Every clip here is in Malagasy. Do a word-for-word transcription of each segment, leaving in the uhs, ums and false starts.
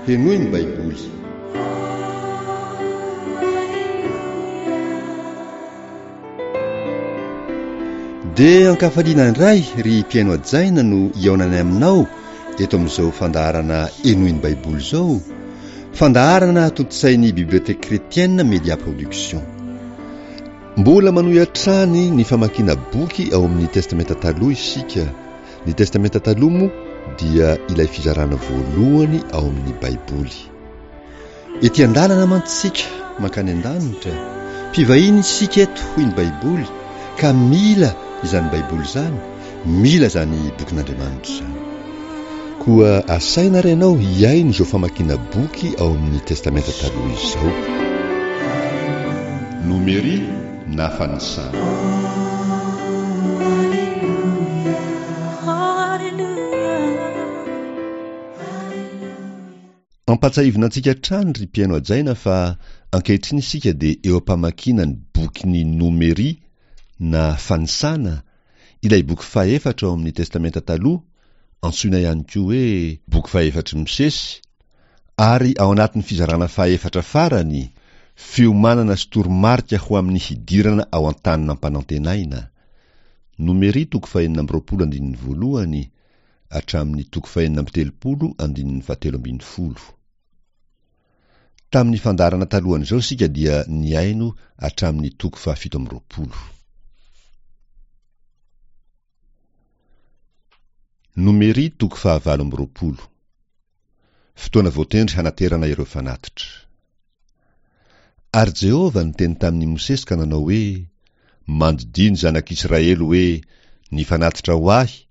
Henoy ny Baiboly. Dia ankafaliana indray ry mpihaino hajaina no hihaonanay aminao eto amin'izao fandaharana Henoy ny Baiboly izao, fandaharana tontosain'ny Bibliothèque Chrétienne Média Production. Mbola manohy hatrany ny famakiana boky ao amin'ny Testamenta Taloha isika. Ny Testamenta Taloha moa dia ilay fizarana voalohany ao amin'ny Baiboly. Ety an-dalana mantsy isika mankany an-danitra, mpivahiny isika eto hoy ny Baiboly, ka mila izany Baiboly izany, mila izany bokin'Andriamanitra izany. Koa asaina ary ianao hihaino izao famakiana boky ao amin'ny Testamenta Taloha izao. Nomery na fanisana. Ampatsahivina antsika hatrany ry mpihaino hajaina fa ankehitriny isika dia eo am-pamakiana ny bokin'ny Nomery na Fanisana, ilay boky fahefatra ao amin'ny Testamenta Taloha, antsoina ihany koa hoe boky fahefatry Mosesy, ary ao anatin'ny fizarana fahefatra farany, fiomanana sy toromarika ho amin'ny hidirana ao an-tany nampanantenaina. Nomery toko fahenina amby roapolo andininy voalohany hatramin'ny toko fahenina amby telopolo andininy fahatelo ambin'ny folo. Tamin'ny fandaharana talohan'izao isika dia nihaino hatramin'ny toko fahafito amby roapolo. Nomery toko fahavalo amby roapolo. Fotoana voatendry hanaterana ireo fanatitra. Ary Jehovah niteny tamin'i Mosesy ka nanao hoe, Mandidia ny zanak'Israely hoe, Ny fanatitra ho ahy,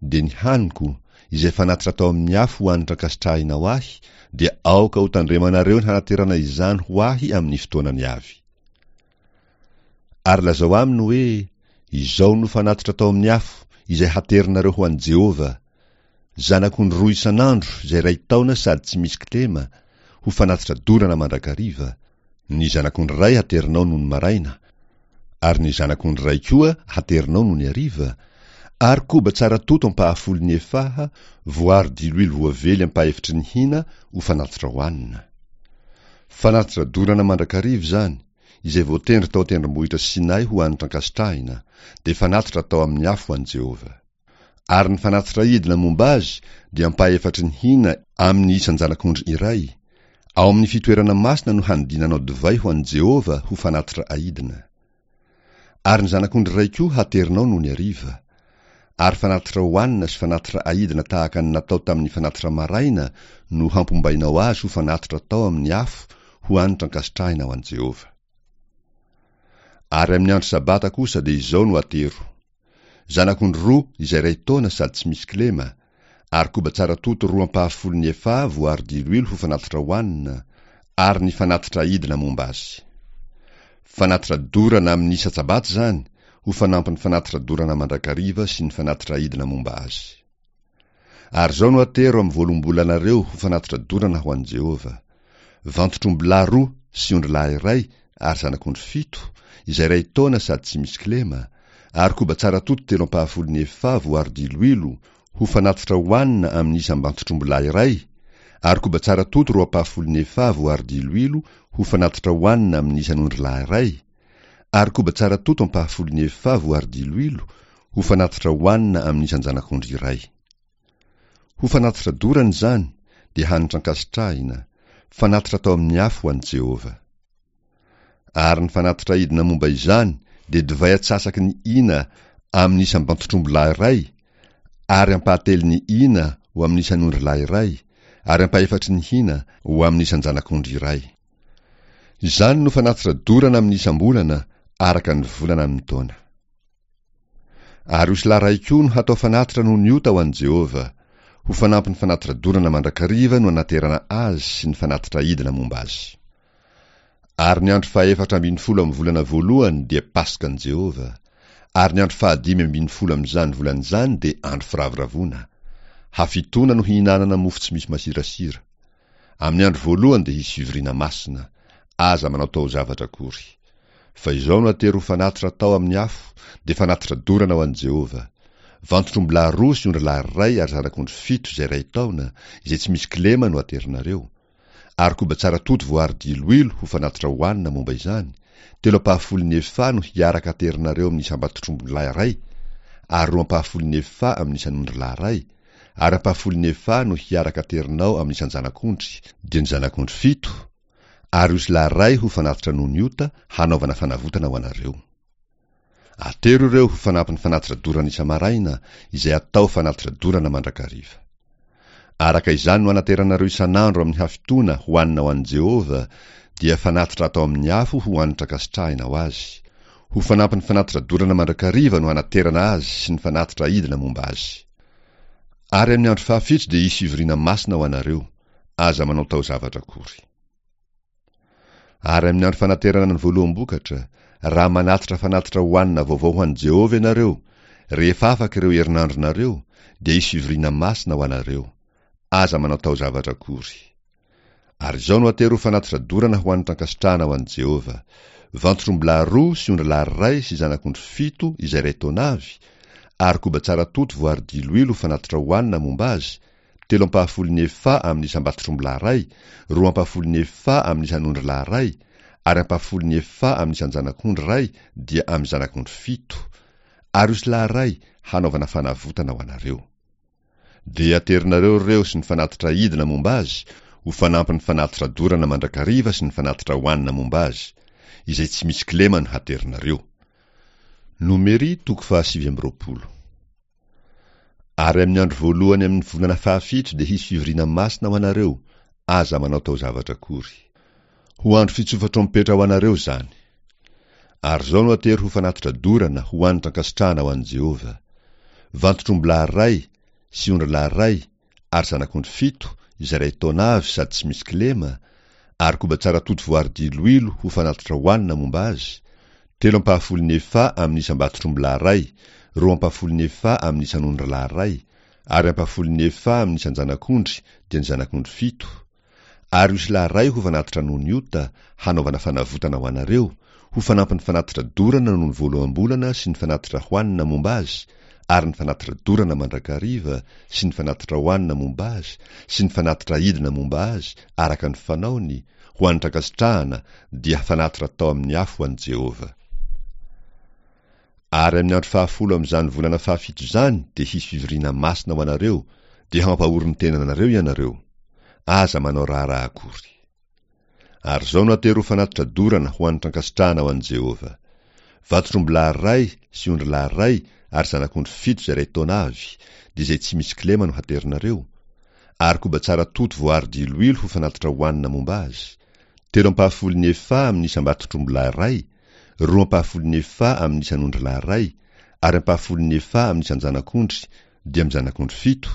dia ny haniko, izay fanatitra atao amin'ny afo ho hanitra ankasitrahina ho ahy, dia aoka ho tandremanareo ny hanaterana izany ho ahy amin'ny fotoanany avy. Ary lazao aminy hoe, Izao no fanatitra atao amin'ny afo, izay haterinareo ho an'i Jehovah, zanak'ondry roa isan'andro izay iray taona sady tsy misy kilema, ho fanatitra dorana mandrakariva, ny zanak'ondry iray haterinao nony maraina, ary ny zanak'ondry iray koa haterinao nony hariva, ary koba tsara toto ampahafolon'ny efaha, voaro diloilo voavely ampahefitry ny hina ho fanatitra hohanina. Fanatitra dorana mandrakariva izany, izay voatendry tao an-tendrombohitra Sinay ho hanitra ankasitrahina, dia fanatitra atao amin'ny afo ho an'i Jehovah. Ary ny fanatitra idina momba azy dia ampahefatry ny hina amin'ny isan-janak'ondry iray. Ao amin'ny fitoerana masina no hanodinanao divay ho an'i Jehovah ho fanatitra aidina. Ary ny zanak'ondry iray koa haterinao nony hariva. Ary fanatitra hohanina sy fanatitra aidina tahaka ny natao tamin'ny fanatitra maraina no hampombainao azy ho fanatitra atao amin'ny afo ho hanitra ankasitrahina ho an'i Jehovah. Ary amin'ny andro sabata kosa dia izao no atero. Zanak'ondry roa izay iray taona sady tsy misy kilema, ary koba tsara toto roa ampahafolon'ny efaha voaro diloilo ho fanatitra hohanina, ary ny fanatitra aidina momba azy. Fanatitra dorana amin'ny isan-tsabata izany, ho fanampin'ny fanatitra dorana mandrakariva sy ny fanatitra aidina momba azy. Ary izao no atero amin'ny voaloham-bolanareo ho fanatitra dorana ho an'i Jehovah. Vantotr'ombilahy roa sy ondrilahy iray ary zanak'ondry fito, izay iray taona sady tsy misy kilema, ary koba tsara toto telo ampahafolon'ny efaha voaro diloilo ho fanatitra hohanina amin'ny isam-bantotr'ombilahy iray, ary koba tsara toto roa ampahafolon'ny efaha voaro diloilo ho fanatitra hohanina amin'ny isan'ondrilahy iray, ary koba tsara toto ampahafolon'ny efaha voaro diloilo ho fanatitra hohanina amin'ny isan-janak'ondry iray. Ho fanatitra dorana izany, dia hanitra ankasitrahina, fanatitra atao amin'ny afo ho an'i Jehovah. Ary ny fanatitra aidina momba izany dia divay atsasaky ny hina amin'ny isam-bantotr'ombilahy iray, ary ampahatelon'ny hina ho amin'ny isan'ondrilahy iray, ary ampahefatry ny hina ho amin'ny isan-janak'ondry iray. Izany no fanatitra dorana amin'ny isam-bolana araka ny volana amin'ny taona. Ary osilahy iray koa no hatao fanatitra noho ny ota ho an'i Jehovah, ho fanampin'ny fanatitra dorana mandrakariva no anaterana azy sy ny fanatitra aidina momba azy. Ary ny andro fahefatra ambin'ny folo amin'ny volana voalohany dia Paskan'i Jehovah, ary ny andro fahadimy ambin'ny folo amin'izany volana izany dia andro firavoravoana. Hafitoana no hihinanana mofo tsy misy masirasira. Amin'ny andro voalohany dia hisy fivoriana masina, aza manao taozavatra akory. Fa izao no atero ho fanatitra atao amin'ny afo, dia fanatitra dorana ho an'i Jehovah. Vantotr'ombilahy roa sy ondrilahy iray ary zanak'ondry fito izay iray taona, izay tsy misy kilema no aterinareo. ary koba tsara toto voaharo diloilo ho fanatitra hohanina momba izany, telo ampahafolon'ny efaha no hiaraka aterinareo amin'ny isam-batotr'ombilahy iray, ary roa ampahafolon'ny efaha amin'ny isan'ondrilahy iray, ary ampahafolon'ny efaha no hiaraka aterinao amin'ny isan-janak'ondry, dia ny zanak'ondry fito, ary osilahy iray ho fanatitra noho ny ota hanaovana fanavotana ho anareo. Atero ireo ho fanampin'ny fanatitra dorana isa-maraina, izay atao fanatitra dorana mandrakariva. Araka izany no anateranareo isan'andro amin'ny hafitoana hohanina ho an'i Jehovah, dia fanatitra atao amin'ny afo ho hanitra ankasitrahina ho azy. Ho fanampin'ny fanatitra dorana mandrakariva no hanaterana azy sy ny fanatitra aidina momba azy. Ary amin'ny andro fahafito dia hisy fivoriana masina ho anareo. Aza manao taozavatra akory. Ary amin'ny andro fanaterana ny voaloham-bokatra, raha manatitra fanatitra hohanina vaovao ho an'i Jehovah ianareo, rehefa afaka ireo herinandronareo, dia hisy fivoriana masina ho anareo. Aza manao taozavatra akory. Ary izao no atero ho fanatitra dorana ho hanitra ankasitrahana ho an'i Jehovah: vantotr'ombilahy roa sy ondrilahy iray sy zanak'ondry fito izay iray taona avy, ary koba tsara toto voaharo diloilo ho fanatitra hohanina momba azy, telo ampahafolon'ny efaha amin'ny isam-batotr'ombilahy iray, roa ampahafolon'ny efaha amin'ny isan'ondrilahy iray, ary ampahafolon'ny efaha amin'ny isan-janak'ondry iray, dia amin'ny zanak'ondry fito, ary osilahy iray hanaovana fanavotana ho anareo. Dia aterinareo ireo sy ny fanatitra aidina momba azy, ho fanampin'ny fanatitra dorana mandrakariva sy ny fanatitra hohanina momba azy, izay tsy misy kilema no haterinareo. Nomery toko fahasivy amby roapolo. Ary amin'ny andro voalohany amin'ny volana fahafito dia hisy fivoriana masina ho anareo, aza manao taozavatra akory. Ho andro fitsofa-trompetra ho anareo izany. Ary izao no atero ho fanatitra dorana ho hanitra ankasitrahana ho an'i Jehovah: vantotr'ombilahy iray sy ondrilahy iray ary zanak'ondry fito izay iray taona avy sady tsy misy kilema, ary koba tsara toto voaharo diloilo ho fanatitra hohanina momba azy, telo ampahafolon'ny efaha amin'ny isam-batotr'ombilahy iray, roa ampahafolon'ny efaha amin'ny isan'ondrilahy iray, ary ampahafolon'ny efaha amin'ny isan-janak'ondry, dia ny zanak'ondry fito, ary osilahy iray ho fanatitra noho ny ota hanaovana fanavotana ho anareo, ho fanampin'ny fanatitra dorana noho ny voaloham-bolana sy ny fanatitra hohanina momba azy, ary ny fanatitra dorana mandrakariva sy ny fanatitra hohanina momba azy sy ny fanatitra aidina momba azy araka ny fanaony, ho hanitra ankasitrahana, dia fanatitra atao amin'ny afo ho an'i Jehovah. Ary amin'ny andro fahafolo amin'izany volana fahafito izany dia hisy fivoriana masina ho anareo, dia hampahory ny tenanareo ianareo. Aza manao raharaha akory. Ary izao no atero ho fanatitra dorana ho hanitra ankasitrahana ho an'i Jehovah: vantotr'ombilahy iray sy ondrilahy iray ary zanak'ondry fito izay iray taona avy, dia izay tsy misy kilema no haterinareo, ary koba tsara toto voaharo diloilo ho fanatitra hohanina momba azy, telo ampahafolon'ny efaha amin'ny isam-batotr'ombilahy iray, roa ampahafolon'ny efaha amin'ny isan'ondrilahy iray, ary ampahafolon'ny efaha amin'ny isan-janak'ondry, dia amin'ny zanak'ondry fito,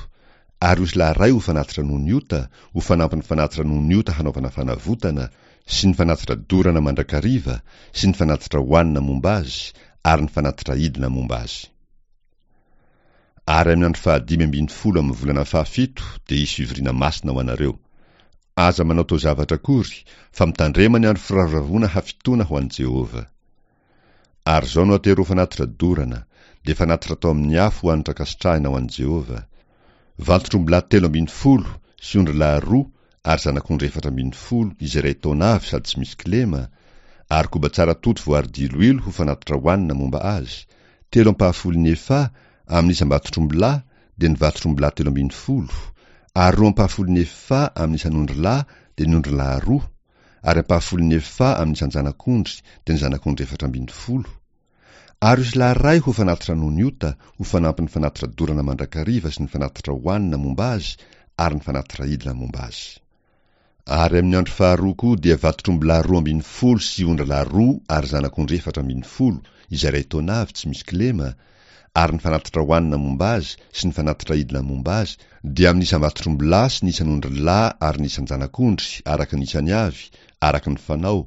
ary osilahy iray ho fanatitra noho ny ota, ho fanampin'ny fanatitra noho ny ota hanaovana fanavotana, sy ny fanatitra dorana mandrakariva, sy ny fanatitra hohanina momba azy, ary ny fanatitra aidina momba azy. Ary amin'ny andro fahadimy ambin'ny folo amin'ny volana fahafito dia hisy fivoriana masina ho anareo. Aza manao taozavatra akory, fa mitandrema ny andro firavoravoana hafitoana ho an'i Jehovah. Ary izao no atero ho fanatitra dorana, dia fanatitra atao amin'ny afo ho hanitra ankasitrahina ho an'i Jehovah: vantotr'ombilahy telo ambin'ny folo sy ondrilahy roa ary zanak'ondry efatra ambin'ny folo izay iray taona avy sady tsy misy kilema, ary koba tsara toto voaharo diloilo ho fanatitra hohanina momba azy, telo ampahafolon'ny efaha amin'ny isam-batotr'ombilahy, dia ny vatotr'ombilahy telo ambin'ny folo, ary roa ampahafolon'ny efaha amin'ny isan'ondrilahy, dia ny ondrilahy roa, ary ampahafolon'ny efaha amin'ny isan-janak'ondry, dia ny zanak'ondry efatra ambin'ny folo, ary osilahy iray ho fanatitra noho ny ota, ho fanampin'ny fanatitra dorana mandrakariva sy ny fanatitra hohanina momba azy ary ny fanatitra aidina momba azy. Ary amin'ny andro faharoa koa dia vatotr'ombilahy roa ambin'ny folo sy ondrilahy roa ary zanak'ondry efatra ambin'ny folo izay iray taona avy tsy misy kilema, ary ny fanatitra hohanina momba azy sy ny fanatitra aidina momba azy dia amin'ny isam-batotr'ombilahy sy ny isan'ondrilahy ary ny isan-janak'ondry araka ny isany avy, araka ny fanao,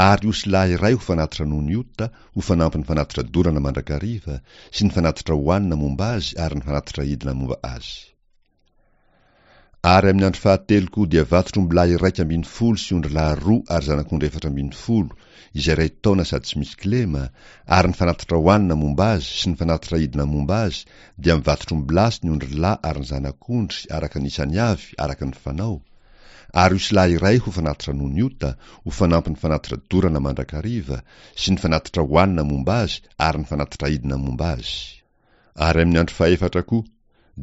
ary osilahy iray ho fanatitra noho ny ota, ho fanampin'ny fanatitra dorana mandrakariva sy ny fanatitra hohanina momba azy ary ny fanatitra aidina momba azy. Ary amin'ny andro fahatelo koa dia vatotr'ombilahy iraika ambin'ny folo sy ondrilahy roa ary zanak'ondry efatra ambin'ny folo izay iray taona sady tsy misy kilema, ary ny fanatitra hohanina momba azy sy ny fanatitra aidina momba azy dia amin'ny vatotr'ombilahy sy ny ondrilahy ary ny zanak'ondry araka ny isany avy araka ny fanao, Ary osilahy iray ho fanatitra noho ny ota, ho fanampin'ny fanatitra dorana mandrakariva, sy ny fanatitra hohanina momba azy ary ny fanatitra aidina momba azy. Ary amin'ny andro fahefatra koa,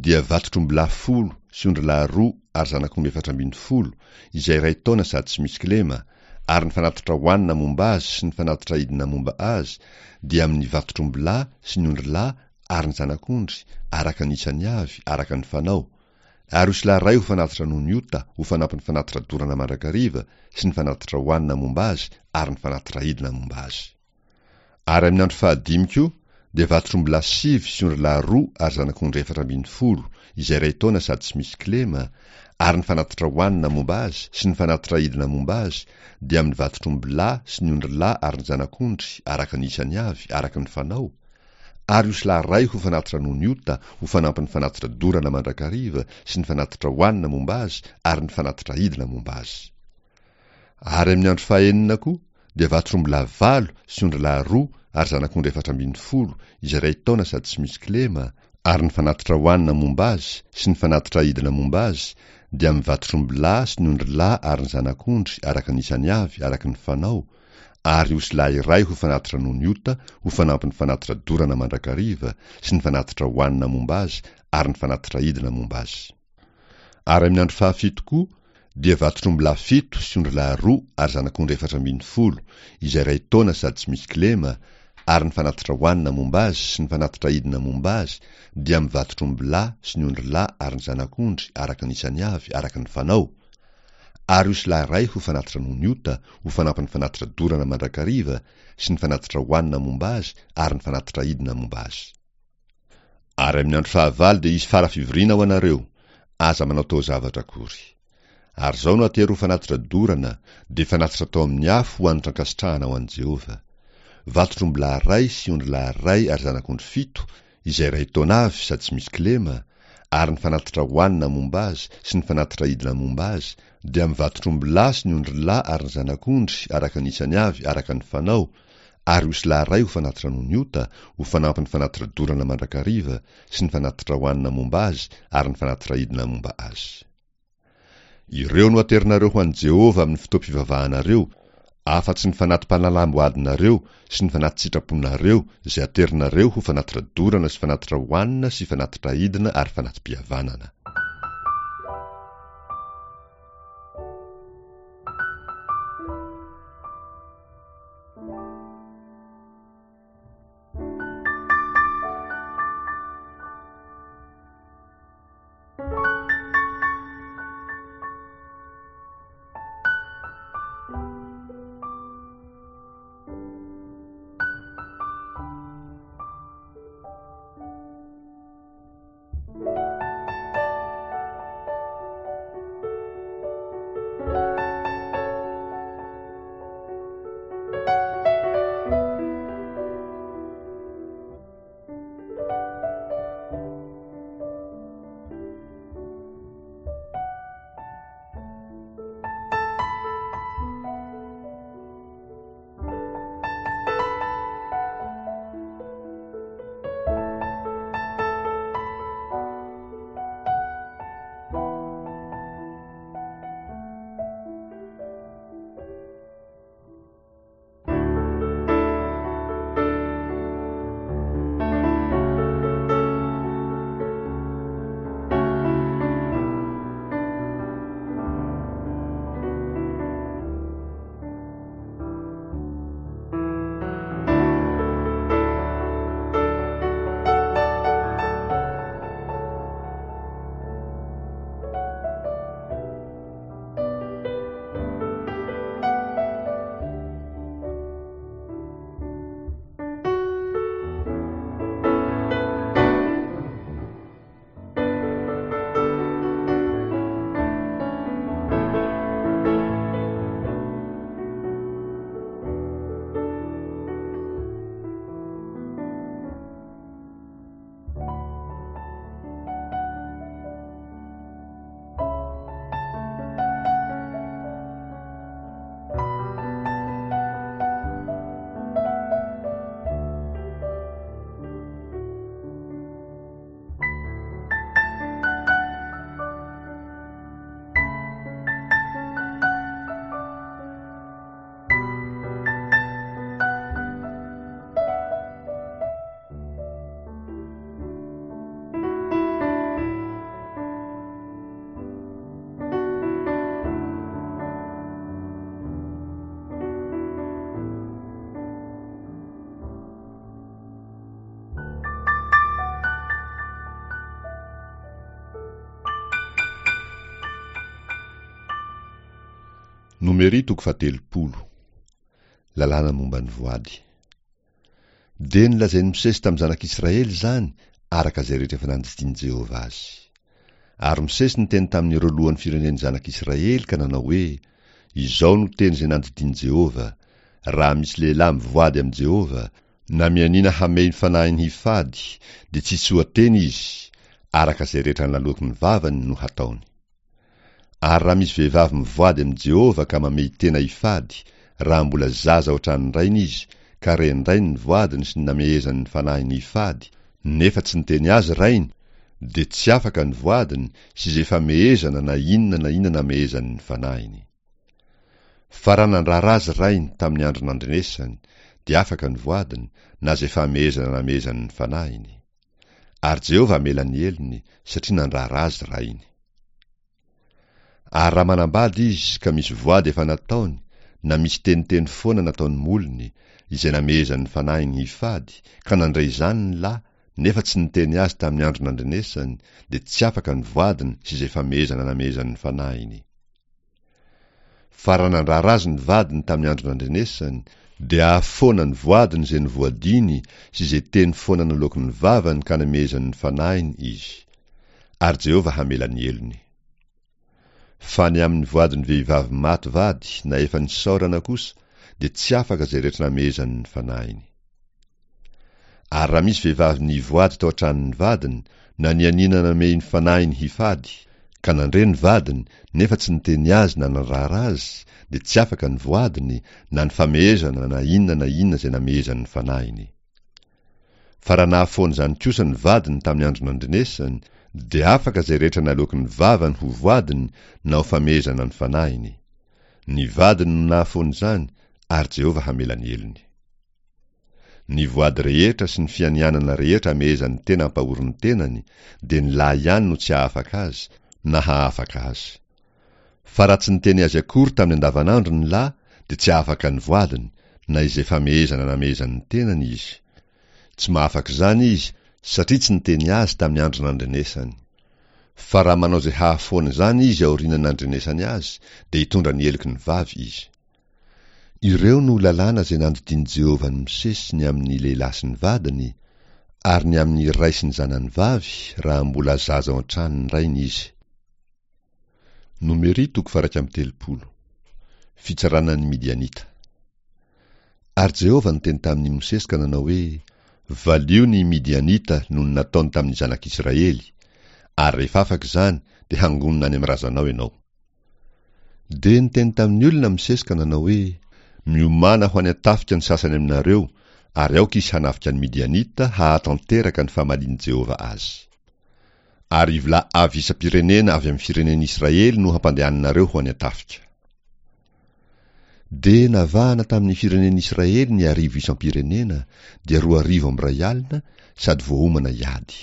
dia vatotr'ombilahy folo sy ondrilahy roa ary zanak'omby efatra ambin'ny folo, izay iray taona sady tsy misy kilema, ary ny fanatitra hohanina momba azy sy ny fanatitra aidina momba azy, dia amin'ny vatotr'ombilahy sy ny ondrilahy ary ny zanak'ondry, araka ny isany avy, araka ny fanao. Ary osilahy iray ho fanatitra noho ny ota, ho fanampin'ny fanatitra dorana mandrakariva, sy ny fanatitra hohanina momba azy ary ny fanatitra aidina momba azy. Ary amin'ny andro fahadimy koa, dia vatotr'ombilahy sivy sy ondrilahy roa ary zanak'ondry efatra ambin'ny folo, izay iray taona sady tsy misy kilema, ary ny fanatitra hohanina momba azy sy ny fanatitra aidina momba azy, dia amin'ny vatotr'ombilahy sy ny ondrilahy ary ny zanak'ondry, araka ny isany avy, araka ny fanao, ary osilahy iray ho fanatitra noho ny ota, ho fanampin'ny fanatitra dorana mandrakariva, sy ny fanatitra hohanina momba azy ary ny fanatitra aidina momba azy. Ary amin'ny andro fahenina koa, dia vatotr'ombilahy valo sy ondrilahy roa ary zanak'ondry efatra ambin'ny folo, izay iray taona sady tsy misy kilema, ary ny fanatitra hohanina momba azy sy ny fanatitra aidina momba azy, dia amin'ny vatotr'ombilahy sy ny ondrilahy ary ny zanak'ondry, araka ny isany avy, araka ny fanao, ary osilahy iray ho fanatitra noho ny ota, ho fanampin'ny fanatitra dorana mandrakariva, sy ny fanatitra hohanina momba azy ary ny fanatitra aidina momba azy. Ary amin'ny andro fahafito koa, dia vatotr'ombilahy fito sy ondrilahy roa ary zanak'ondry efatra ambin'ny folo, izay iray taona sady tsy misy kilema, ary ny fanatitra hohanina momba azy sy ny fanatitra aidina momba azy, dia amin'ny vatotr'ombilahy sy ny ondrilahy ary ny zanak'ondry, araka ny isany avy, araka ny fanao, ary osilahy iray ho fanatitra noho ny ota, ho fanampin'ny fanatitra dorana mandrakariva, sy ny fanatitra hohanina momba azy ary ny fanatitra aidina momba azy. Ary amin'ny andro fahavalo dia hisy fara-fivoriana ho anareo, aza manao taozavatra akory. Ary izao no atero ho fanatitra dorana, dia fanatitra atao amin'ny afo ho hanitra ankasitrahana ho an'i Jehovah. Vatotr'ombilahy iray sy ondrilahy iray ary zanak'ondry fito, izay iray taona avy sady tsy misy kilema, ary ny fanatitra hohanina momba azy sy ny fanatitra aidina momba azy, dia amin'ny vatotr'ombilahy sy ny ondrilahy ary ny zanak'ondry, araka ny isany avy, araka ny fanao, ary osilahy iray ho fanatitra noho ny ota, ho fanampin'ny fanatitra dorana mandrakariva, sy ny fanatitra hohanina momba azy ary ny fanatitra aidina momba azy. Ireo no aterinareo ho an'i Jehovah amin'ny fotoam-pivavahanareo, afa-tsy ny fanati-panalam-boadinareo sy ny fanati-tsitraponareo izay aterinareo ho fanatitra dorana sy fanatitra hohanina sy fanatitra aidina ary fanati-pihavanana. Nomery toko fahatelopolo. Lalàna momba ny voady. Dia nolazain'i Mosesy tamin'ny zanak'Israely izany, araka izay rehetra efa nandidian'i Jehovah azy. Ary Mosesy niteny tamin'ireo lohan'ny firenen'ny zanak'Israely ka nanao hoe, Izao no teny izay nandidian'i Jehovah, Raha misy lehilahy mivoady amin'i Jehovah, na mianiana hamehy ny fanahiny hifady, dia tsy tsoa-teny izy, araka izay rehetra naloaky ny vavany no hataony. Ary raha misy vehivavy mivoady amin'i Jehovah ka mamehy tena hifady, raha mbola zaza ao an-tranon-drainy izy, ka ren-drainy ny voadiny sy ny namehezany ny fanahiny hifady, nefa tsy niteny azy rainy, dia tsy afaka ny voadiny sy izay famehezana na inona na inona namehezany ny fanahiny. Fa raha nandrara azy rainy tamin'ny andro nandrenesany, dia afaka ny voadiny, na izay famehezana namehezany ny fanahiny. Ary Jehovah hamela ny helony, satria nandrara azy rainy. Ary raha manambady izy ka misy voady efa nataony, na misy teniteny foana nataon'ny molony, izay namehezan'ny fanahiny hifady, ka nandre izany ny lahy, nefa tsy niteny azy tamin'ny andro nandrenesany, dia tsy afaka ny voadiny sy izay famehezana namehezan'ny fanahiny. Fa raha nandrara azy ny vadiny tamin'ny andro nandrenesany, dia hahafoana ny voadiny izay novoadiny sy izay teny foana naloaky ny vavany ka namehezany ny fanahiny izy. Ary Jehovah hamela ny helony. Fa ny amin'ny voadin'ny vehivavy maty vady na efa nisaorana kosa, dia tsy afaka izay rehetra namehezany ny fanahiny. Ary raha misy vehivavy nivoady tao an-tranon'ny vadiny, na nianiana namehy ny fanahiny hifady, ka nandre ny vadiny, nefa tsy niteny azy na nandrara azy, dia tsy afaka ny voadiny, na ny famehezana na inona na inona izay namehezany ny fanahiny. Fa raha nahafoana izany kosa ny vadiny tamin'ny andro nandrenesany, dia afaka izay rehetra naloaky ny vavany ho voadiny na ho famehezana ny fanahiny. Ny vadiny no nahafoana izany, ary Jehovah hamela ny helony. Ny voady rehetra sy ny fianianana rehetra amehezan'ny tena ampahorin'ny tenany, dia ny lahy ihany no tsy hahafaka azy, na hahafaka azy. Fa raha tsy niteny azy akory tamin'ny andavanandro ny lahy, dia tsy hahafaka ny voadiny, na izay famehezana namehezan'ny tenany izy. Tsy mahafaka izany izy, satria tsy niteny azy tamin'ny andro nandrenesany. Fa raha manao izay hahafoana izany izy aorian'ny nandrenesany azy, dia hitondra ny heloky ny vavy izy. Ireo no lalàna izay nandidian'i Jehovah an'i Mosesy ny amin'ny lehilahy sy ny vadiny, ary ny amin'ny ray sy ny zanany vavy, raha mbola zaza ao an-tranon'ny rainy izy. Nomery toko faha-iraika amby telopolo. Fitsarana ny Midianita. Ary Jehovah niteny tamin'i Mosesy ka nanao hoe, Valio ny Midianita noho ny nataony tamin'ny zanak'Israely, ary rehefa afaka izany, dia hangonina any amin'ny razanao ianao. Dia niteny tamin'ny olona Mosesy ka nanao hoe, Miomàna ho any an-tafika ny sasany aminareo, ary aoka izy hanafika ny Midianita hahatanteraka ny famalian'i Jehovah azy. Arivo lahy avy isam-pirenena avy amin'ny firenen'Israely no hampandehaninareo ho any an-tafika. Dia navahana tamin'ny firenen'Israely ny arivo isam-pirenena, dia roa arivo amby iray alina, sady voaomana hiady.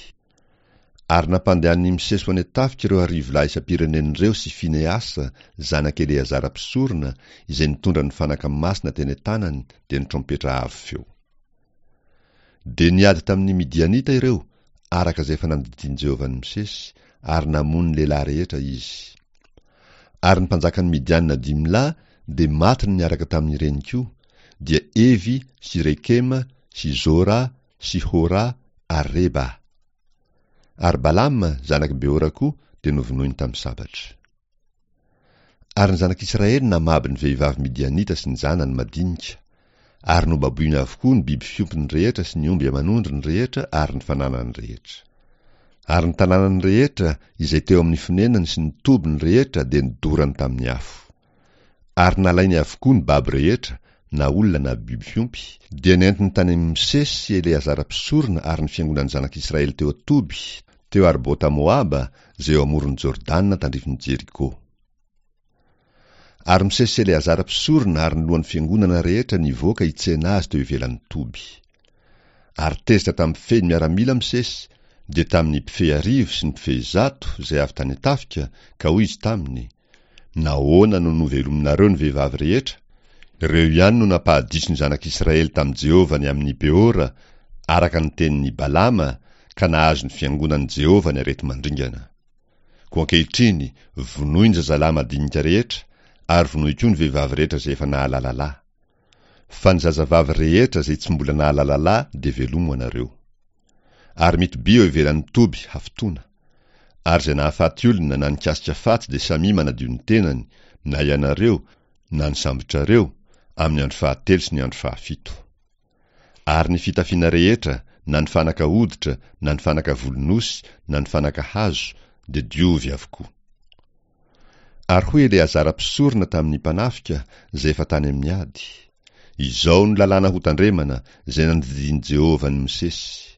Ary nampandehanin'i Mosesy ho any an-tafika ireo arivo lahy isam-pirenena ireo sy Finehasa, zanak'i Eleazara mpisorona, izay nitondra ny fanaka masina teny an-tanany, dia ny trompetra avo feo. Dia niady tamin'ny Midianita ireo, araka izay efa nandidian'i Jehovah an'i Mosesy, ary namono ny lehilahy rehetra izy. Ary ny mpanjakan'ny Midianina dimy lahy dia matiny niaraka tamin'ireny koa, dia Evy sy Rekema sy Zora sy Hora ary Reba. Ary Balama, zanak'i Beora koa, dia novonoiny tamin'ny sabatra. Ary ny zanak'Israely namabo ny vehivavy midianita sy ny zanany madinika, ary nobaboiny avokoa ny biby fiompiny rehetra sy ny omby aman'ondriny rehetra ary ny fananany rehetra. Ary ny tanànany rehetra izay teo amin'ny fonenany sy ny tobiny rehetra dia nodorany tamin'ny afo. Ary nalainy avokoa ny babo rehetra, na olona na biby fiompy, dia nentiny tany amin'i Mosesy sy Eleazara mpisorona ary ny fiangonan'ny zanak'Israely teo an-toby, teo Arbota-Moaba, izay eo amoron'i Jordana tandrifin'i Jeriko. Ary Mosesy sy Eleazara mpisorona ary ny lohan'ny fiangonana rehetra nivoaka hitsena azy teo ivelan'ny toby. Ary tezitra tamin'ny mpifehy ny miaramila Mosesy, dia tamin'ny mpifehy arivo sy ny mpifehy zato izay avy tany an-tafika, ka hoy izy taminy, Nahoana no novelominareo ny vehivavy rehetra? Ireo ihany no nampahadiso ny zanak'Israely tamin'i Jehovah ny amin'i Peora, araka ny tenin'i Balama, ka nahazo ny fiangonan'i Jehovah ny areti-mandringana. Koa ankehitriny, vonoy ny zazalahy madinika rehetra, Ary vonoy koa ny vehivavy rehetra izay efa nahalala lahy. Fa ny zazavavy rehetra izay tsy mbola nahalala lahy dia velomo anareo. Ary mitobia eo ivelan'ny toby hafitoana. Ary izay nahafaty olona na nikasika faty dia samia manadio ny tenany, na ianareo, na ny sambotrareo, amin'ny andro fahatelo sy ny andro fahafito. Ary ny fitafiana rehetra, na ny fanaka hoditra, na ny fanaka volon'osy, na ny fanaka hazo, dia diovy avokoa. Ary hoy Eleazara mpisorona tamin'ny mpanafika, izay efa tany amin'ny ady, Izao no lalàna hotandremana, izay nandidian'i Jehovah an'i Mosesy,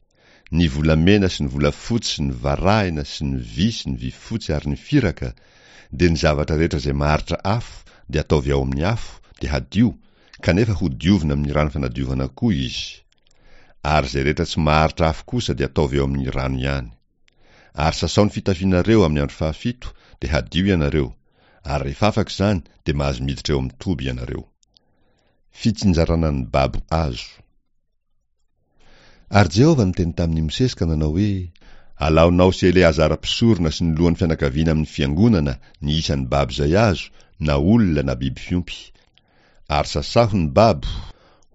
Ny volamena sy ny volafotsy sy ny varahina sy ny vy sy ny vifotsy ary ny firaka, dia ny zavatra rehetra izay maharitra afo dia ataovy ao amin'ny afo, dia hadio, kanefa hodiovina amin'ny rano fanadiovana koa izy. Ary izay rehetra tsy maharitra afo kosa dia ataovy ao amin'ny rano ihany. Ary sasao ny fitafianareo amin'ny andro fahafito, dia hadio ianareo, ary rehefa afaka izany dia mahazo miditra eo amin'ny toby ianareo. Fitsinjarana ny babo azo. Ary Jehovah niteny tamin'i Mosesy ka nanao hoe, Alaonao sy Eleazara mpisorona sy ny lohan'ny fianakaviana amin'ny fiangonana ny isan'ny babo izay azo, na olona na biby fiompy. Ary sasaho ny babo,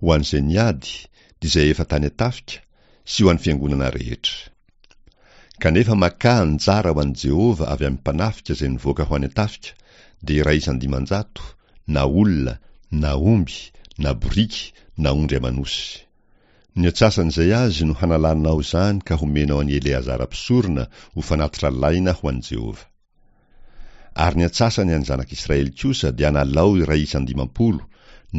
ho an'izay niady, dia izay efa tany an-tafika, sy ho an'ny fiangonana rehetra. Kanefa makà anjara ho an'i Jehovah avy amin'ny mpanafika izay nivoaka ho any an-tafika, dia iray isan-dimanjato, na olona, na omby, na boriky, na ondry aman'osy. Ny antsasan'izay azy no hanalanao izany ka homenao an'i Eleazara mpisorona ho fanatitra alaina ho an'i Jehovah. Ary ny antsasany an'ny zanak'Israely kosa dia analao iray isan-dimampolo,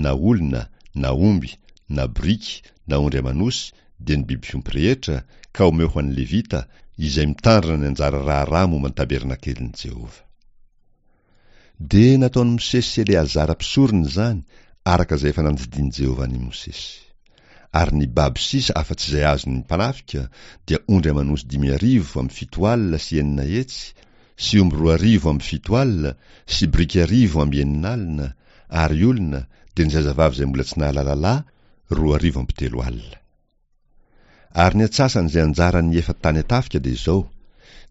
na olona, na omby, na boriky, na ondry aman'osy, dia ny biby fiompy rehetra, ka omeo ho an'ny Levita, izay mitandrina ny anjara raharaha momba ny tabernakelin'i Jehovah. Dia nataon'i Mosesy sy Eleazara mpisorona izany, araka izay efa nandidian'i Jehovah an'i Mosesy. Ary ny babo sisa afa-tsy izay azon'ny mpanafika dia ondry aman'osy dimy arivo amby fito alina sy enina hetsy, sy omby roa arivo amby fito alina, sy biriky arivo amby enina alina, ary olona, dia ny zazavavy izay mbola tsy nahalala lahy, roa arivo amby telo alina. Ary ny antsasan'izay anjaran'ny efa tany an-tafika dia izao,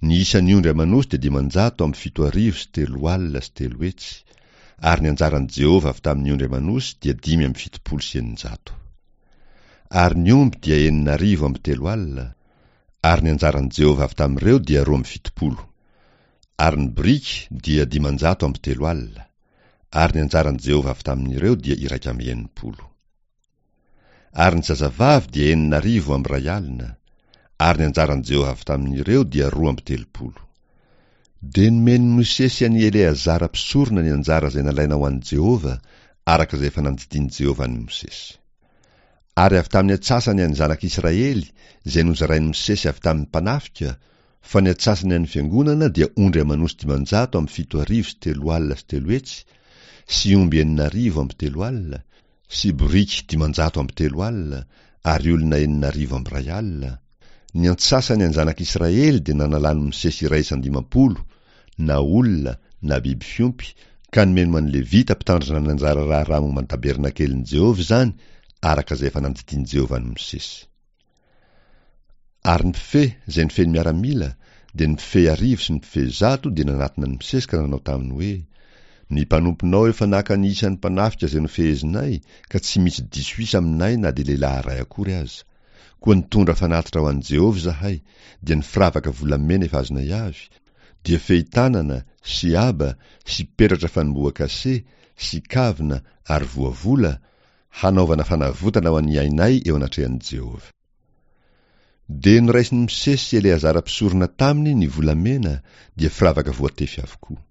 ny isan'ny ondry aman'osy dia dimanjato amby fito arivo sy telo alina sy telo hetsy, ary ny anjaran'i Jehovah avy tamin'ny ondry aman'osy dia dimy amby fitopolo sy eninjato. Ary ny omby dia enina arivo amby telo alina, ary ny anjaran'i Jehovah avy tamin'ireo dia roa amby fitopolo. Ary ny boriky dia dimanjato amby telo alina, ary ny anjaran'i Jehovah avy tamin'ireo dia iraika amby enimpolo. Ary ny zazavavy dia enina arivo amby iray alina, ary ny anjaran'i Jehovah avy tamin'ireo dia roa amby telopolo. Dia nomen'i Mosesy an'i Eleazara mpisorona ny anjara izay nalaina ho an'i Jehovah, araka izay efa nandidian'i Jehovah an'i Mosesy. Ary avy tamin'ny antsasany an'ny zanak'Israely, izay nozarain'i Mosesy avy tamin'ny mpanafika, fa ny antsasany an'ny fiangonana dia ondry aman'osy dimanjato amby fito arivo sy telo alina sy telo hetsy, sy omby enina arivo amby telo alina, sy boriky dimanjato amby telo alina, ary olona enina arivo amby iray alina. Ny antsasany an'ny zanak'Israely dia nanalan'i Mosesy iray isan-dimampolo, na olona, na biby fiompy, ka nomeny ho an'ny Levita mpitandrina ny anjara raharaha momba ny tabernakelin'i Jehovah izany, araka izay efa nandidian'i Jehovah an'i Mosesy. Ary ny mpifehy, izay nifehy ny miaramila, dia ny mpifehy arivo sy ny mpifehy zato dia nanatona an'i Mosesy ka nanao taminy hoe, Ny mpanomponao efa naka ny isan'ny mpanafika izay nofehezinay, ka tsy misy diso isa aminay na dia lehilahy iray akory aza. Koa nitondra fanatitra ho an'i Jehovah izahay, dia ny firavaka volamena efa azonay avy, dia fehi-tanana, sy aba, sy peratra fanombohan-kase, sy kavina, ary voavola, hanaovana fanavotana ho an'ny ainay eo anatrehan'i Jehovah. Dia noraisin'i Mosesy sy Eleazara mpisorona taminy ny volamena, dia firavaka voatefy avokoa.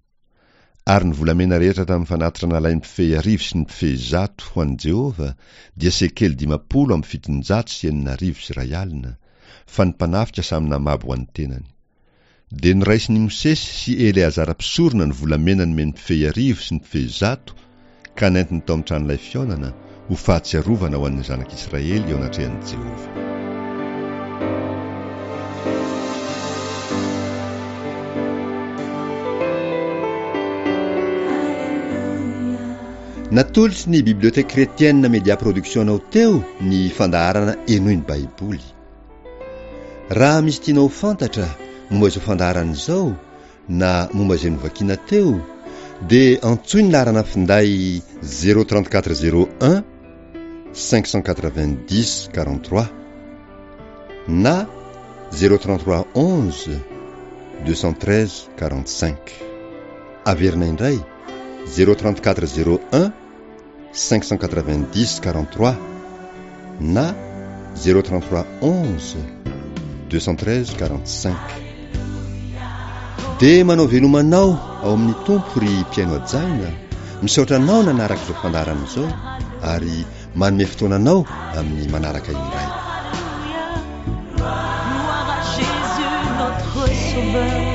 Ary ny volamena rehetra tamin'ny fanatitra nalain'ny mpifehy arivo sy ny mpifehy zato ho an'i Jehovah dia sekely dimampolo amby fitonjato sy enina arivo sy iray alina, fa ny mpanafika samy namabo ho an'ny tenany. Dia noraisin'i Mosesy sy Eleazara mpisorona ny volamena nomen'ny mpifehy arivo sy ny mpifehy zato, ka nentiny tao amin'ny tranolay fihaonana, ho fahatsiarovana ho an'ny zanak'Israely eo anatrehan'i Jehovah. Natolotry ny Bibliothèque Chrétienne Media Production anao teo ny fandaharana Henoy ny Baiboly. Raha misy tianao ho fantatra momba izao fandaharana izao na momba izay novakina teo, Dia antsoy ny laharana finday zéro trente quatre zéro un cinq cent quatre-vingt-dix quarante-trois na zéro trente-trois onze deux cent treize quarante-cinq. Averina indray zéro trente-quatre zéro un cinq cent quatre-vingt-dix quarante-trois na zéro trente-trois onze deux cent treize quarante-cinq. Dia manao veloma anao ao amin'ny Tompo ry mpihaino hajaina, misaotra anao nanaraka izao fandaharana izao ary manome fotoana anao amin'ny manaraka indray. Gloire à Jésus notre Sauveur.